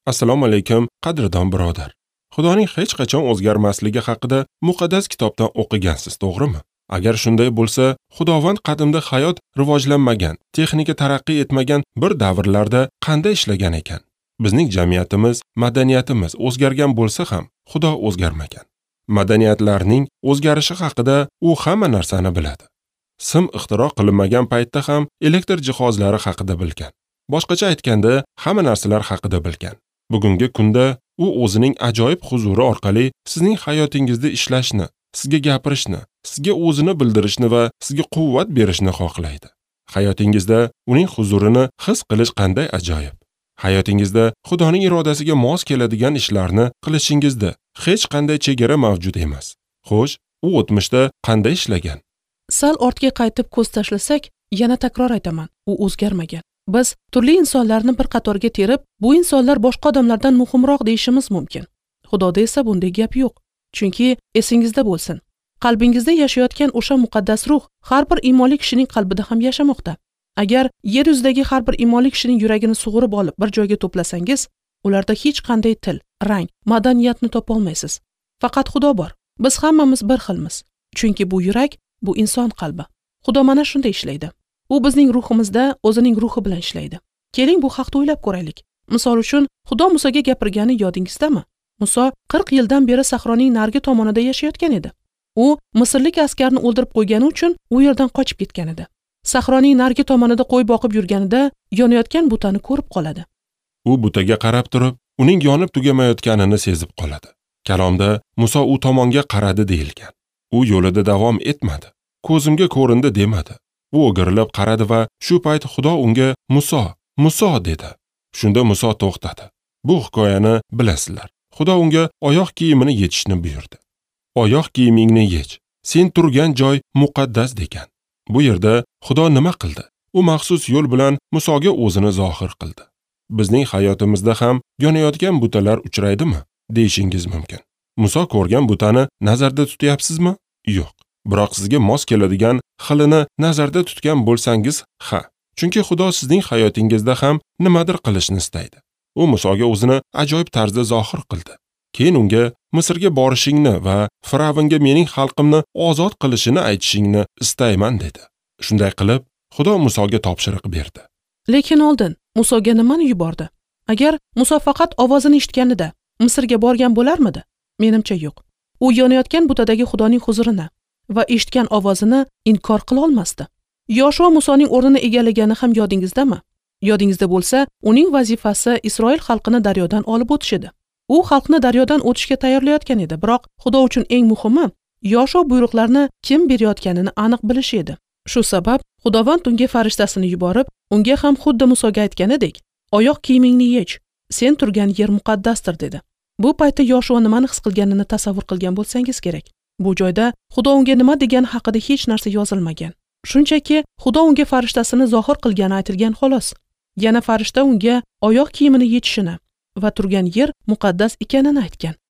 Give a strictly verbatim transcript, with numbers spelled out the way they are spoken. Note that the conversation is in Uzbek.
Assalomu alaykum, qadrdon birodar. Xudoning hech qachon o'zgarmasligi haqida muqaddas kitobdan o'qigansiz, to'g'rimi? Agar shunday bo'lsa, Xudovand qadimda hayot rivojlanmagan, texnika taraqqiy etmagan bir davrlarda qanday ishlagan ekan? Bizning jamiyatimiz, madaniyatimiz o'zgargan bo'lsa ham, Xudo o'zgarmagan. Madaniyatlarning o'zgarishi haqida u hamma narsani biladi. Sim ixtiro qilinmagan paytda ham elektr jihozlari haqida bilgan. Boshqacha aytganda, hamma narsalar haqida bilgan. Bugungi kunda u o'zining ajoyib huzuri orqali sizning hayotingizda ishlashni, sizga gapirishni, sizga o'zini bildirishni va sizga quvvat berishni xohlaydi. Hayotingizda uning huzurini his qilish qanday ajoyib. Hayotingizda Xudoning irodasiga mos keladigan ishlarni qilishingizda hech qanday chegara mavjud emas. Xo'sh, u o'tmishda qanday ishlagan? Sal ortga qaytib ko'z tashlasak, yana takror aytaman, u o'zgarmagan. Biz turli insonlarni bir qatorga terib, bu insonlar boshqa odamlardan muhimroq deyishimiz mumkin. Xudoda esa bunday gap yo'q. Chunki esingizda bo'lsin, qalbingizda yashayotgan o'sha muqaddas ruh har bir iymonli kishining qalbida ham yashamoqda. Agar yer yuzidagi har bir iymonli kishining yuragini sug'urib olib bir joyga to'plasangiz, ularda hech qanday til, rang, madaniyatni topa olmaysiz. Faqat Xudo bor. Biz hammamiz bir xilmiz. Chunki bu yurak, bu inson qalbi. Xudo mana shunday ishlaydi. U bizning ruhimizda o'zining ruhi bilan ishlaydi. Keling, bu haqda o'ylab ko'raylik. Misol uchun, Xudo Musoga gapirgani yodingizdami? Muso qirq yildan beri sahroning narigi tomonida yashayotgan edi. U misrlik askarni o'ldirib qo'ygani uchun u yerdan qochib ketgan edi. Sahroning narigi tomonida qo'y boqib yurganida yonayotgan butani ko'rib qoladi. U butaga qarab turib, uning yonib tugamayotganini sezib qoladi. Kalomda Muso u tomonga qaradi deyilgan. U yo'lida davom etmadi. Ko'zimga ko'rindi demadi. U o'girilib qaradi va shu payt Xudo unga Muso, Muso dedi. Shunda Muso to'xtadi. Bu hikoyani bilasizlar. Xudo unga oyoq kiyimini yechishni buyurdi. Oyoq kiyimingni yech. Sen turgan joy muqaddas degan. Bu yerda Xudo nima qildi? U maxsus yo'l bilan Musoga o'zini zohir qildi. Bizning hayotimizda ham yonayotgan butalar uchraydimi deyishingiz mumkin. Muso ko'rgan butani nazarda tutyapsizmi? Yo'q. Biroq sizga mos keladigan xilini nazarda tutgan bo'lsangiz, ha. Chunki Xudo sizning hayotingizda ham nimadir qilishni istaydi. U Musoga o'zini ajoyib tarzda zohir qildi. Keyin unga Misrga borishingni va Firavnga mening xalqimni ozod qilishini aytishingni istayman dedi. Shunday qilib, Xudo Musoga topshiriq berdi. Lekin oldin Musoga nimani yubordi? Agar Muso faqat ovozini eshitganida Misrga borgan bo'larmidi? Menimcha yo'q. U yonayotgan butadagi Xudoning huzurini va eshitgan ovozini inkor qila olmasdi. Yoshua Musoning o'rnini egallagani ham yodingizdami? Yodingizda bo'lsa, uning vazifasi Isroil xalqini daryodan olib o'tish edi. U xalqni daryodan o'tishga tayyorlayotgan edi, biroq Xudo uchun eng muhimi Yoshua buyruqlarni kim berayotganini aniq bilish edi. Shu sabab Xudovand unga farishtasini yuborib, unga ham xuddi Musoga aytganidek, oyoq kiyimingni yech, sen turgan yer muqaddasdir dedi. Bu paytda Yoshua nimani his qilganini tasavvur qilgan bo'lsangiz kerak. Bu joyda Xudo unga nima degani haqida hech narsa yozilmagan. Shunchaki Xudo unga farishtasini zohir qilgani aytilgan xolos. Yana farishta unga oyoq kiyimini yechishini va turgan yer muqaddas ekanini aytgan.